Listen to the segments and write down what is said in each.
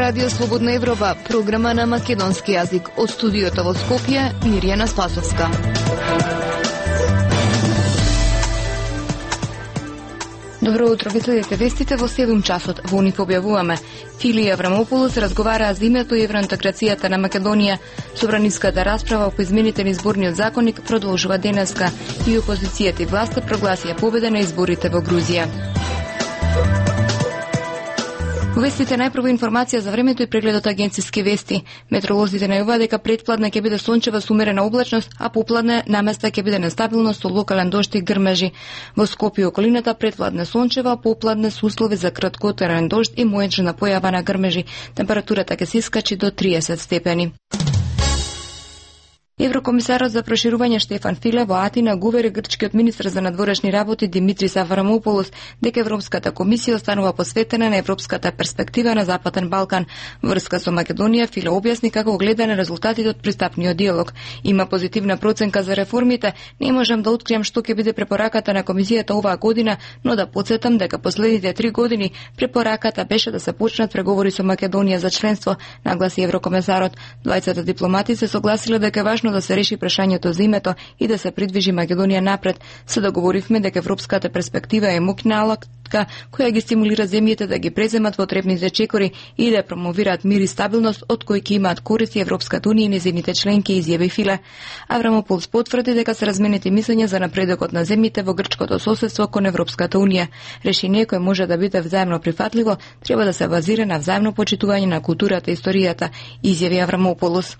Радио Слободна Европа, програма на македонски јазик. Од студиото во Скопје, Мирјана Спасовска. Добро утро, ги следите вестите во 7 часот. Во них објавуваме: Фили Аврамополос разговараа за името и евроинтеграцијата на Македонија. Собраниската расправа по измените на изборниот законник продолжува денеска и опозицијата и власта прогласија победа на изборите во Грузија. Во вестите најпрво информација за времето и прегледот агенциски вести. Метеоролозите најаваа дека предпладне ќе биде сончева со умерена облачност, а попладне наместа ќе биде нестабилно со локален дожд и грмежи. Во Скопје и околината предпладне сончева, а попладне со услови за краткотраен дожд и мојачна појава на грмежи. Температурата ќе се искачи до 30 степени. Еврокомисарот за проширување Штефан Филе во Атина го увери грчкиот министер за надворешни работи Димитрис Аврамополос дека Европската комисија останува посветена на европската перспектива на Западен Балкан. Врска со Македонија, Филе објасни како гледа на резултатите од пристапниот диалог. Има позитивна проценка за реформите, не можам да откриам што ќе биде препораката на комисијата оваа година, но да потсетам дека последните 3 години препораката беше да се почнат преговори со Македонија за членство, нагласи еврокомисарот. Двајцата дипломати се согласиле дека е важно да се реши прашањето за името и да се придвижи Македонија напред. Се договоривме дека европската перспектива е мокна алатка која ги стимулира земјите да ги преземат потребните чекори и да промовираат мир и стабилност од кои ќе имаат користи Европската унија и незините членки, изјави Филе. Аврамополос потврди дека се разменети мислења за напредокот на земјите во грчкото соседство кон Европската унија. Решение кое може да биде взаимно прифатливо треба да се базира на взаимно почитување на културата и историјата, изјави Аврамополос.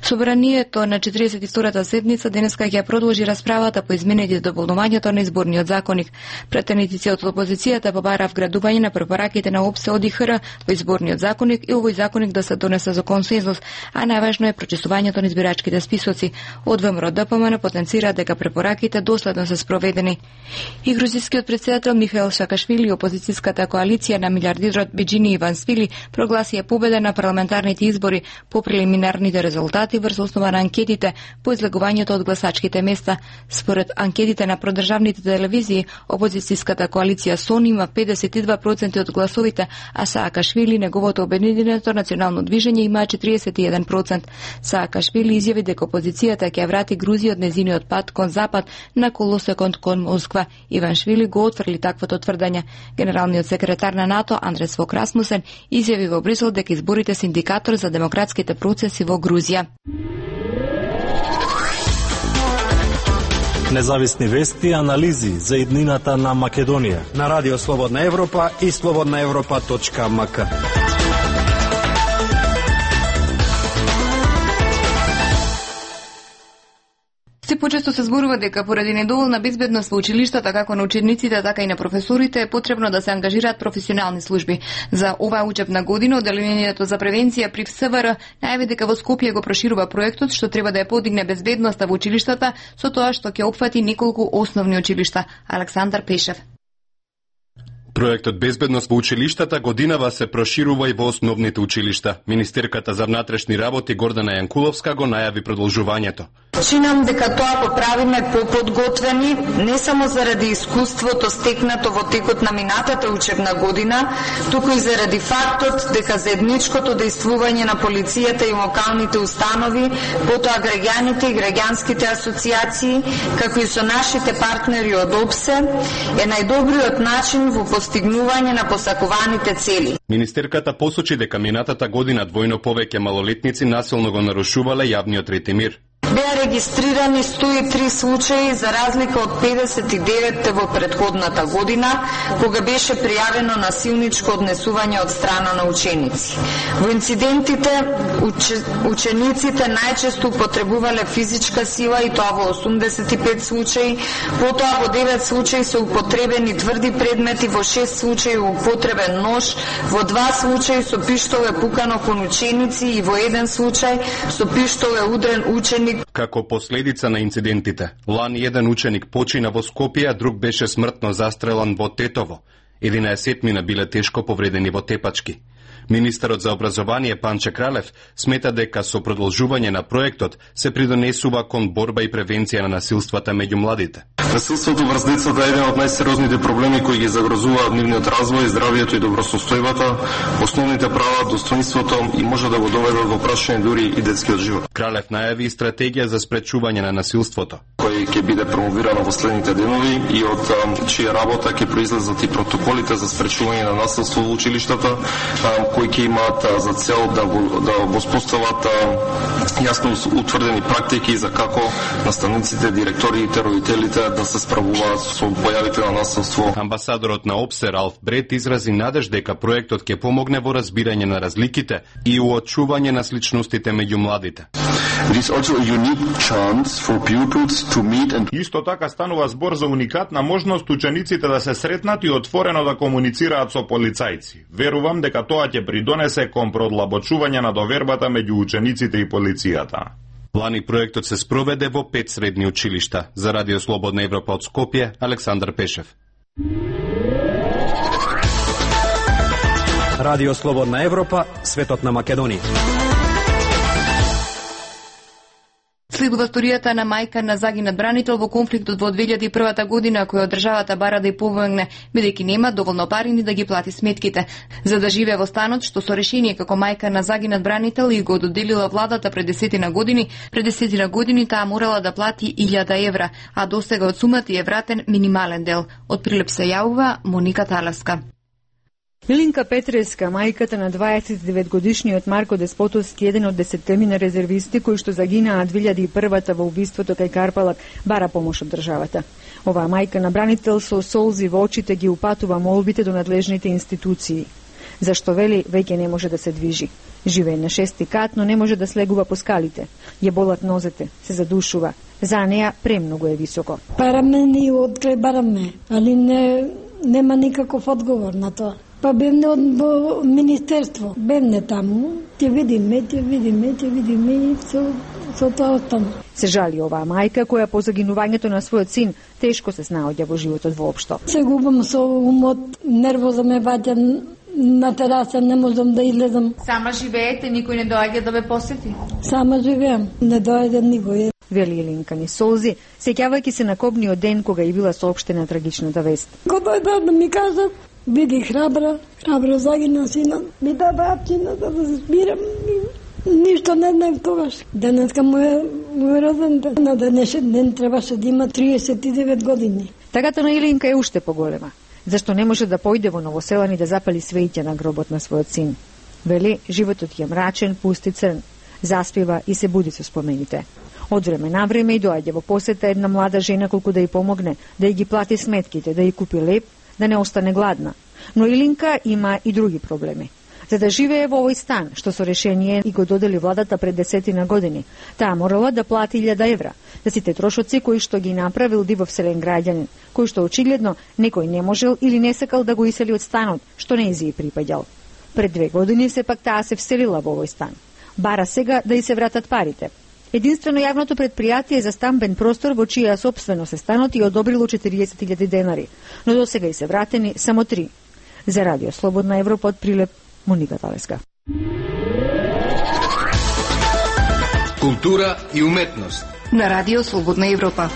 Собранието на 42-та седница денеска ќе продолжи расправата по измените и дополнувањето на изборниот законник. Претениците од опозицијата побара вградување на препораките на ОПСЕ ОДИХР во изборниот законник и овој законник да се донесе за консензус, а најважно е прочисувањето на избирачките списоци. Од ВМРО ДПМН потенцира дека препораките доследно се спроведени. И грузискиот претседател Михаил Саакашвили и опозицијската коалиција на милиардерот Биџини Иваншвили прогласија победа на парламентарните избори по прелиминарните резултати врз основа на анкетите по излегувањето од гласачките места. Според анкетите на продржавните телевизии, опозицијската коалиција СОН има 52% од гласовите, а Саакашвили, неговото обединето национално движење, има 41%. Саакашвили изјави дека опозицијата ќе врати Грузија од незиниот пат кон запад на колосекот кон Москва. Иваншвили го отфрли таквото тврдање. Генералниот секретар на НАТО Андрес Фок Расмусен изјави во Брисел дека изборите се индикатор за демократските процеси во Грузија. Независни вести и анализи за иднината на Македонија на Радио Слободна Европа и slobodnaevropa.mk. Се почесто се зборува дека поради недоволна безбедност во училиштата, како на учениците, така и на професорите, е потребно да се ангажираат професионални служби. За оваа учебна година Одделението за превенција при ФСВР најави дека во Скопје го проширува проектот што треба да ја подигне безбедноста во училиштата со тоа што ќе опфати неколку основни училишта. Александар Пешев. Проектот Безбедност во училиштата годинава се проширува и во основните училишта. Министерката за внатрешни работи Гордана Јанкуловска го најави продолжувањето. Чинам дека тоа го правиме поподготвени не само заради искуството стекнато во текот на минатата учебна година, туку и заради фактот дека заедничкото действување на полицијата и локалните установи, потоа граѓаните и граѓанските асоциации, како и со нашите партнери од ОПСЕ, е најдобриот начин во постигнување на посакуваните цели. Министерката посочи дека минатата година двојно повеќе малолетници насилно го нарушувале јавниот ред и мир. Беа регистрирани 103 случаи за разлика од 59 во претходната година, кога беше пријавено насилничко однесување од страна на ученици. Во инцидентите учениците најчесто употребувале физичка сила и тоа во 85 случаи, потоа во 9 случаи се употребени тврди предмети, во 6 случаи употребен нож, во 2 случаи со пиштол е пукано кон ученици и во 1 случај со пиштол е удрен ученик. Како последица на инцидентите, лани еден ученик почина во Скопје, а друг беше смртно застрелан во Тетово. 11 биле тешко повредени во Тепачки. Министерот за образование Панче Кралев смета дека со продолжување на проектот се придонесува кон борба и превенција на насилствата меѓу младите. Насилството врз децата е еден од најсериозните проблеми кои ги загрозуваат нивниот развој, здравието и добросостојбата, основните права, достоинството и може да го доведат во прашање дури и детскиот живот. Кралев најави стратегија за спречување на насилството, кој ќе биде промовирано во следните денови и од чија работа ќе произлезат и протоколите за спречување на насилство во училиштата, кои ќе имаат за цел да воспостават јасно утврдени практики за како наставниците, директорите, родителите да се справуваат со појавите на насилство. Амбасадорот на ОПСЕ Ралф Брет изрази надеж дека проектот ќе помогне во разбирање на разликите и уочување на сличностите меѓу младите. Исто така станува збор за уникатна можност учениците да се сретнат и отворено да комуницираат со полицајци. Верувам дека тоа ќе придонесе кон продлабочување на довербата меѓу учениците и полицијата. Лани проектот се спроведе во 5 средни училишта. За Радио Слободна Европа од Скопје, Александар Пешев. Радио Слободна Европа, светот на Македонија. Следува сторијата на мајка на загинат бранител во конфликтот во 2001 година, која државата бара да ја помогне, бидејќи нема доволно пари ни да ги плати сметките. За да живее во станот, што со решение како мајка на загинат бранител и го доделила владата пред 10 години таа морала да плати 1000 евра, а досега од сумата е вратен минимален дел. Од Прилеп се јавува Моника Таласка. Илинка Петреска, мајката на 29-годишниот Марко Деспотовски, еден од 10 резервисти кои што загинаа 2001 во убиството кај Карпалак, бара помош од државата. Оваа мајка на бранител со солзи во очите ги упатува молбите до надлежните институции. Зашто вели веќе не може да се движи. Живее на 6-ти кат, но не може да слегува по скалите. Ја болат нозете, се задушува. За неа премногу е високо. Бараме ни одкрај бараме, али нема никаков одговор на тоа. Па бевне од министерство, бевне таму, ќе видиме и со тоа остана. Се жали оваа мајка која по загинувањето на својот син тешко се снаоѓа во животот воопшто. Се губам со умот, нервоза ме ваѓа на тераса, не можам да излезам. Сама живеете, никој не доаѓа да ве посети? Сама живеам, не доаѓа никој. Вели Илинка ни солзи, сеќавајќи се на кобниот ден кога и била соопштена трагичната вест. Кога дојде да ми кажа, биди храбра загина синот, ми даде апчина да се збирам. Ништо не знаев тогаш. Денеска му е роден ден. На денешен ден требаше да има 39 години. Тагата на Илинка е уште поголема. Зашто не може да појде во Новоселан и да запали свеќа на гробот на својот син. Вели, животот ја мрачен, пусти црн. Заспива и се буди со спомените. Од време на време и доаѓа во посета една млада жена колку да ја помогне, да ја ги плати сметките, да ја купи леп, да не остане гладна. Но Илинка има и други проблеми. За да живее во овој стан, што со решение и го додели владата пред 10 години, таа морала да плати 1000 евра за сите трошоци кои што ги направил дивовселен граѓанин, кој што очигледно некој не можел или не сакал да го исели од станот, што не зи припаѓал. Пред 2 години сепак таа се вселила во овој стан. Бара сега да и се вратат парите. Единствено јавното предпријатие за стамбен простор во чија собственост е станот и одобрило 40.000 денари, но досега и се вратени само 3. За Радио Слободна Европа од Прилеп, Моника Талеска. Култура и уметност на Радио Слободна Европа.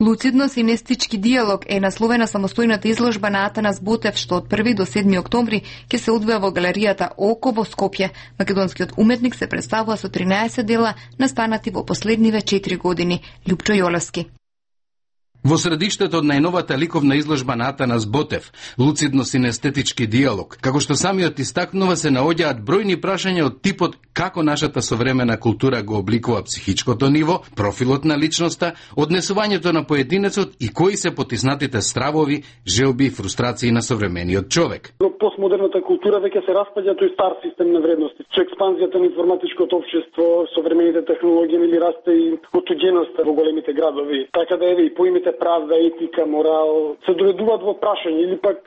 Луцидно-синестички диалог е насловена самостојната изложба на Атанас Ботев, што од 1 до 7 октомври ќе се одвија во галеријата Око во Скопје. Македонскиот уметник се представува со 13 дела настанати во последниве 4 години. Лјупчо Јолевски. Во средиштето од најновата ликовна изложба на Атанас Ботев, луцидно-синестетички диалог, како што самиот истакнува, се наоѓаат бројни прашања од типот како нашата современа култура го обликува психичкото ниво, профилот на личноста, однесувањето на поединецот и кои се потиснатите стравови, желби и фрустрации на современиот човек. Постмодерната култура веќе се распаѓа тој стар систем на вредности. Со експанзијата на информатичкото општество, современите технологии или расте и отуѓеноста во големите градови. Така да еве и поимите правда, етика, морал се доведуваат во прашање или пак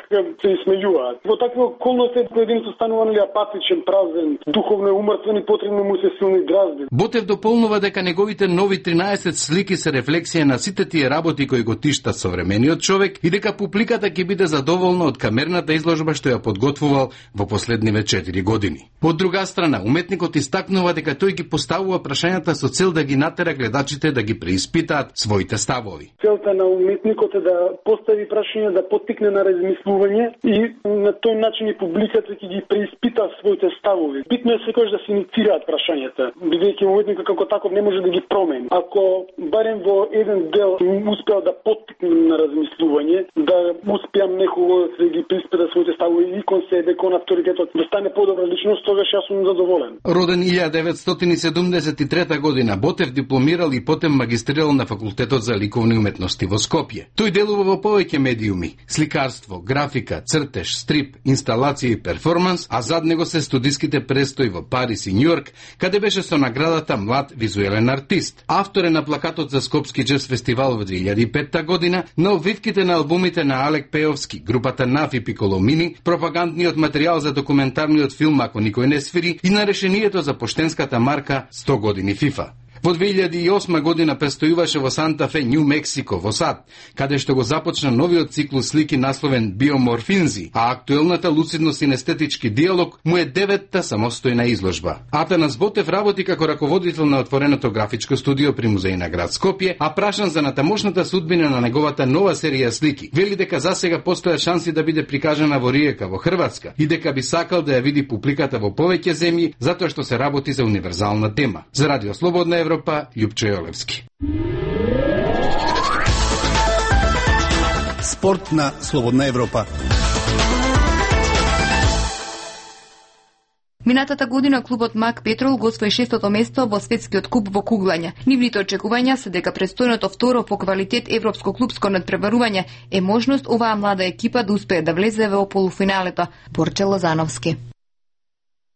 се исмејуваат. Во такви околности кој единство станува апатичен, празен, духовно умртвен и потребно му се силни дразби. Ботев дополнува дека неговите нови 13 слики се рефлексија на сите тие работи кои го тиштат современиот човек и дека публиката ќе биде задоволна од камерната изложба што ја подготвувал во последниве 4 години. Од друга страна, уметникот истакнува дека тој ги поставува прашањата со цел да ги натера гледачите да ги преиспитаат своите ставови. Целта на уметникот е да постави прашања, да поттикне на размислување и на тој начин и публиката ќе ги преиспита своите ставови. Битно е секогаш да се инициираат прашањата, бидејќи уметникот како таков не може да ги промени. Ако барем во еден дел успеа да поттикне на размислување, да успеам некого да ги преиспита своите ставови и кон себе, кон авторитетот, да стане подобра личност, тогаш јас сум задоволен. Роден 1973 година, Ботев дипломирал и потем магистрирал на факултетот за ликовни уметности во Скопје. Тој делува во повеќе медиуми: сликарство, графика, цртеж, стрип, инсталација и перформанс, а зад него се студиските престои во Париз и Њујорк, каде беше со наградата Млад визуелен артист. Автор е на плакатот за Скопски джез фестивал во 2005 година, на обвивките на албумите на Алек Пеовски, групата Наф и Пиколомини, пропагандниот материјал за документарниот филм Ако никој не свири и на решението за поштенската марка 100 години FIFA. Во 2008 година престојуваше во Санта Фе, Њу Мексико, во САД, каде што го започна новиот циклус слики насловен Биоморфинзи, а актуелната луцидно-синестетички диалог му е 9-та самостојна изложба. Атанас Ботев работи како раководител на отвореното графичко студио при музеј на град Скопје, а прашан за натамошната судбина на неговата нова серија слики, вели дека засега постојат шанси да биде прикажана во Риека, во Хрватска, и дека би сакал да ја види публиката во повеќе земји, затоа што се работи за универзална тема. За Радио Слободна Европа, Љупчо Јолевски. Спорт на Слободна Европа. Минатата година клубот Мак Петрол го освои 6-то место во светскиот куп во куглање. Нивните очекувања се дека престојното второ по квалитет европско клубско надпреварување е можност оваа млада екипа да успее да влезе во полуфиналето. Борче Лозановски.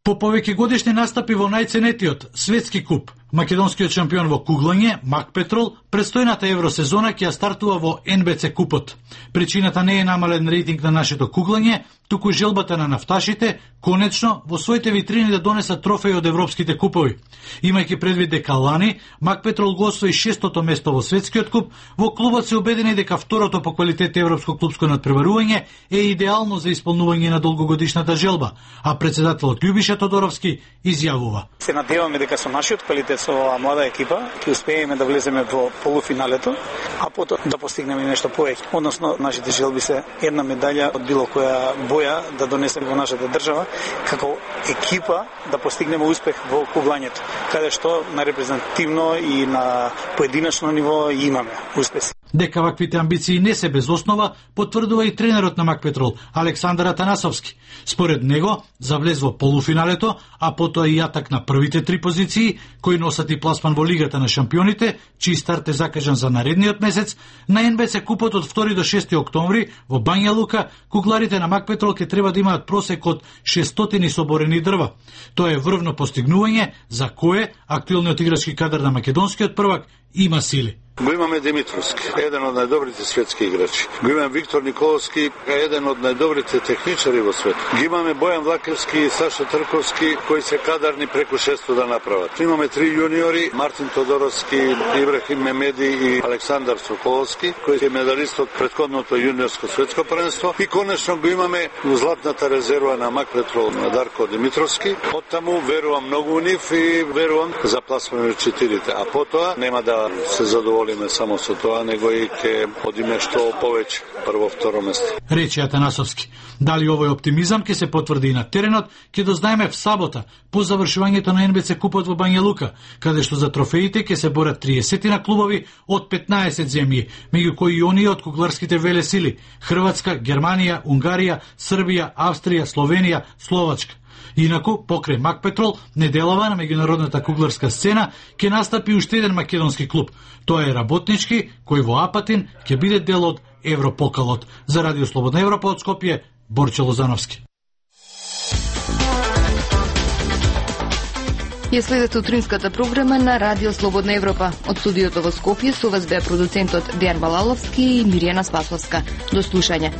По повеќе годишни настапи во најценетиот светски куп, македонскиот шампион во куглање, Мак Петрол, престојната евросезона ќе ја стартува во НБЦ купот. Причината не е намален рейтинг на нашето куглање, туку желбата на нафташите, конечно, во своите витрини да донесат трофеи од европските купови. Имајќи предвид дека лани, Мак Петрол го освои 6-то место во светскиот куп, во клубот се убедени дека второто по квалитет европско клубско надпреварување е идеално за исполнување на долгогодишната желба, а председателот Љубиша Тодоровски изјавува: Се надеваме дека со нашиот квалитет со оваа млада екипа ќе успееме да влеземе во полуфиналето, а потоа да постигнеме нешто повеќе. Односно, нашите желби се една медаља од било која боја да донесеме во нашата држава, како екипа да постигнеме успех во куглањето, каде што на репрезентативно и на поединечно ниво имаме успеси. Дека ваквите амбиции не се без основа, потврдува и тренерот на Мак Петрол, Александар Атанасовски. Според него, за влез во полуфиналето, а потоа и јатак на првите 3 позиции, кои носат и пласман во Лигата на шампионите, чиј старт е закажан за наредниот месец, на НБЦ купот од 2 до 6 октомври во Бања Лука, кугларите на Мак Петрол ќе треба да имаат просек од 600 соборени дрва. Тоа е врвно постигнување за кое актуелниот играчки кадар на македонскиот првак има сили. Го имаме Димитровски, еден од најдобрите светски играчи. Го имаме Виктор Николовски, еден од најдобрите техничари во свет. Ги имаме Бојан Влакевски и Саша Трковски, кои се кадарни преку 600 да направат. Имаме 3 јуниори, Мартин Тодоровски, Ибрахим Мемеди и Александар Соколовски, кој е медалист од претходното јуниорско светско првенство. И конечно го имаме златната резерва на Мак Петрол на Дарко Димитровски. Оттаму верувам многу у нив и верувам за пласмане од 4-те. А потоа нема да се задоволиме само со тоа, него и ќе одиме што повеќе, прво, второ место. Рече Атанасовски. Дали овој оптимизам ќе се потврди и на теренот, ќе дознаеме в сабота, по завршувањето на НБЦ купот во Бања Лука, каде што за трофеите ќе се борат 30 на клубови од 15 земји, меѓу кои и оние од кугларските велесили: Хрватска, Германија, Унгарија, Србија, Австрија, Словенија, Словачка. Инаку, покрај Мак Петрол, неделава на меѓународната кугларска сцена ќе настапи уште еден македонски клуб. Тоа е Работнички, кој во Апатин ќе биде дел од Европокалот. За Радио Слободна Европа од Скопје, Борче Лозановски. Ја следете утринската програма на Радио Слободна Европа. Од студиото во Скопје со вас беа продуцентот Дејан Балаловски и Миријана Спасовска. До слушање.